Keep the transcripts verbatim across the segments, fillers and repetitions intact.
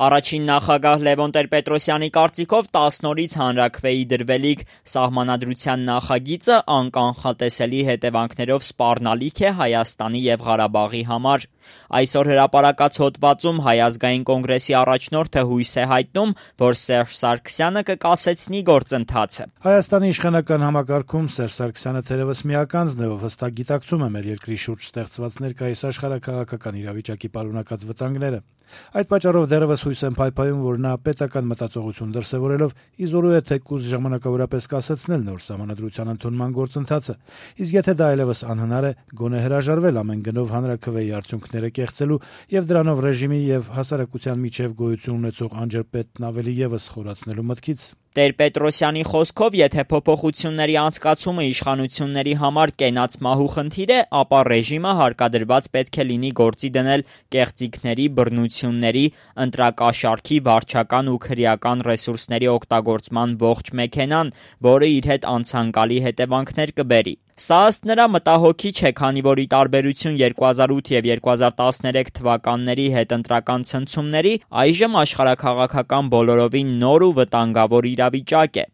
Առաջին նախագահ Լևոն Տեր-Պետրոսյանի կարծիքով տասն օրից հանրաքվեի դրվելիք սահմանադրության նախագիծը անկանխատեսելի հետևանքներով սպառնալիք է Հայաստանի և Ղարաբաղի համար։ Այսօր հրապարակած հոդվածում Հայ ազգային կոնգրեսի առաջնորդը հույս է հայտնում, որ Սերժ Սարգսյանը կկասեցնի գործընթացը։ Հայաստանի իշխանական համակարգում Սերժ Սարգսյանը թերևս միականձն է, ով հստակ գիտակցում է մեր երկրի շուրջ ստեղծված ներկայիս աշխարհաքաղաքական իրավիճակի պարունակած վտանգները։ Այդ պատճառով դեռևս հույս եմ փայփայում, որ նա պետական մտածողություն դրսևորելով իզորու է թեկուզ ժամանակավորապես կասեցնել նոր սահմանադրության ընդունման գործընթացը, իսկ եթե դա այլևս անհնար է, գոնե հրաժարվել ամեն գնով հանրաքվեի արդյունքները կեղծելու եւ դրանով ռեժիմի եւ հասարակության միջև գոյություն ունեցող անջրպետն ավելի եւս խորացնելու մտքից։ Տեր-Պետրոսյանի խոսքով, եթե փոփոխությունների անցկացումը իշխանությունների համար կենաց մահու խնդիր է, ապա ռեժիմը հարկադրված պետք է լինի գործի դնել կեղծիքների, բռնությունների, ընտրակաշառքի, վարչական ու քրեական ռեսուրսների օգտագործման ողջ մեքենան, որը իր հետ անցանկալի հետևանքներ կբերի։ Սա ըստ նրա մտահոգիչ է, քանի որ ի տարբերություն երկու հազար ութ եւ երկու հազար տասներեք թվականների հետընտրական ցնցումների, այժմ աշխարհաքաղաքական բոլորովին նոր ու վտանգավոր իրավիճակ է։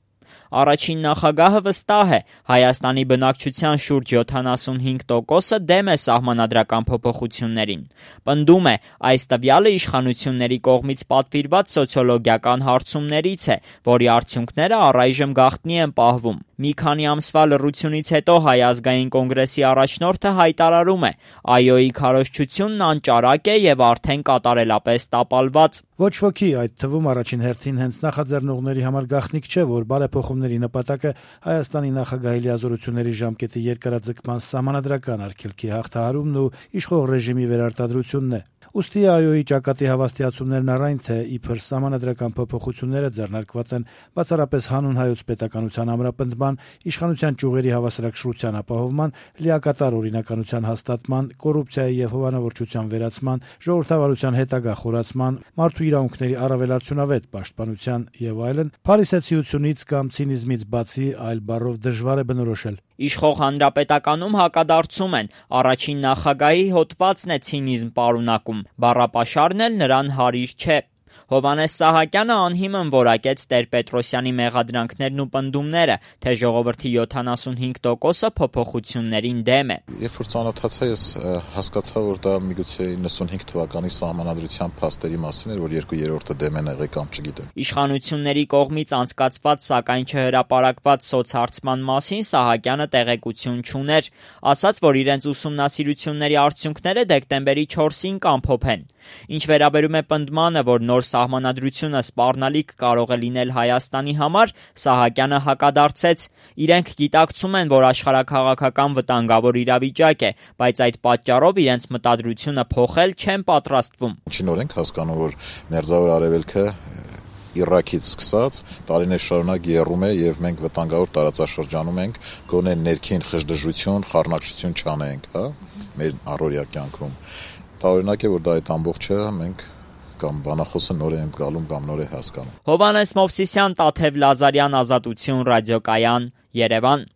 Առաջին նախագահը վստահ է, Հայաստանի բնակչության շուրջ յոթանասունհինգ տոկոսը դեմ է սահմանադրական փոփոխություններին։ Պնդում է, այս տվյալը իշխանությունների կողմից պատվիրված սոցիոլոգիական հարցումներից է, որի արդյունքները առայժմ գաղտնի են պահվում։ Մի քանի ամսվա լռությունից հետո Հայ ազգային կոնգրեսի առաջնորդը հայտարարում է. «ԱՅՈ-ի քարոզչությունն անճարակ է եւ արդեն կատարելապես տապալված»։ Ոչ ոքի, այդ թվում առաջին հերթին հենց նախաձեռնողների համար գաղտնիք չէ, որ բարեփոխումների նպատակը Հայաստանի նախագահի լիազորությունների ժամկետի երկարաձգման սահմանադրական արգելքի հաղթահարումն ու իշխող ռեժիմի վերարտադրությունն է։ Ուստի ԱՅՈ-ի ճակատի հավաստիացումներն առայն թե իբր սահմանադրական փոփոխությունները ձեռնարկված են բացառապես հանուն հայոց պետականության ամրապնդման, իշխանության ճյուղերի հավասարակշռության ապահովման, լիակատար օրինականության հաստատման, կոռուպցիայի եւ հովանավորչության վերացման, ժողովրդավարության հետագա խորացման, մարդու իրավունքների առավել արդյունավետ պաշտպանության եւ այլն, փարիսեցիությունից կամ ցինիզմից բացի այլ բառով դժվար է բնորոշել։ Իշխող հանրապետականում հակադարձում են, առաջին նախագահի հոդվածն է ցինիզմ պարունակում, բառապաշարն էլ նրան հարիր չէ։ Հովհաննես Սահակյանը անհիմն որակեց Տեր-Պետրոսյանի մեղադրանքներն ու պնդումները, թե ժողովրդի յոթանասունհինգ տոկոսը փոփոխություններին դեմ է։ Երբ որ ծանոթացա, ես հասկացա, որ դա միգուցե իննսունհինգ թվականի սահմանադրության փաստերի մասին էր, որ երկու երրորդը դեմ են եղել կամ չգիտեմ։ Իշխանությունների կողմից անցկացված, սակայն չհրապարակված սոցհարցման մասին Սահակյանը տեղեկություն չուներ, ասաց, որ իրենց ուսումնասիրությունների արդյունքները դեկտեմբերի չորսին կամփոփեն։ Ինչ վերաբերում է պնդմանը, որ նոր սահմանադրությունը սպառնալիք կարող է լինել Հայաստանի համար, Սահակյանը հակադարձեց. իրենք գիտակցում են, որ աշխարհաքաղաքական վտանգավոր իրավիճակ է, բայց այդ պատճառով իրենց մտադրությունը փոխել չեն պատրաստվում։ Ինչին օրենք հասկանում, որ Մերձավոր Արևելքը Իրաքից սկսած տարիներ շարունակ եռում է եւ մենք վտանգավոր տարածաշրջանում ենք, գոնե ներքին խժդժություն, խառնակցություն չանենք, հա, մեր առօրյա կյանքում։ Տարօրինակ է, որ դա այդ ամբողջը մենք կամ բանախոսը նոր է ընկալում կամ նոր է հասկանում։ Հովհաննես Մովսիսյան, Տաթև Լազարյան, Ազատություն ռադիոկայան, Երևան։